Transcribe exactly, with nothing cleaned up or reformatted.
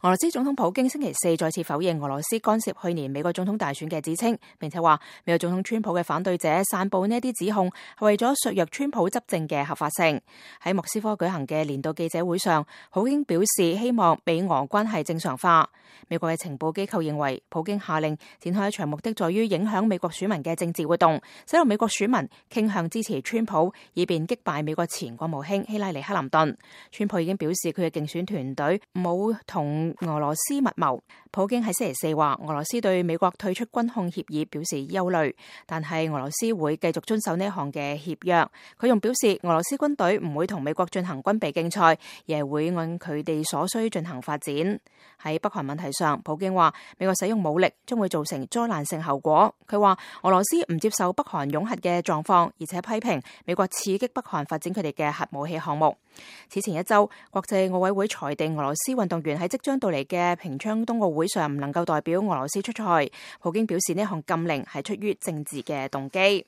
俄羅斯總統普京星期四再次否認俄羅斯干涉去年美國總統大選嘅指稱，並且話美國總統川普嘅反對者散布呢啲指控係為咗削弱川普執政嘅合法性。喺莫斯科舉行嘅年度記者會上，普京表示希望美俄關係正常化。美國嘅情報機構認為，普京下令展開一場目的在於影響美國選民嘅政治活動，使到美國選民傾向支持川普，以便擊敗美國前國務卿希拉里克林頓。川普已經表示佢嘅競選團隊冇同俄羅斯密謀。普京喺星期四話，俄羅斯對美國退出軍控協議表示憂慮，但係俄羅斯會繼續遵守呢項嘅協約。佢仲表示，俄羅斯軍隊唔會同美國進行軍備競賽，而係會按佢哋所需進行發展。喺北韓問題上，普京話美國使用武力將會造成災難性後果。佢話俄羅斯唔接受北韓擁核嘅狀況，而且批評美國刺激北韓發展佢哋嘅核武器項目。此前一周，國際奧委會裁定俄羅斯運動員喺即將到嚟嘅平昌冬奧會上唔能夠代表俄羅斯出賽。普京表示呢項禁令係出於政治嘅動機。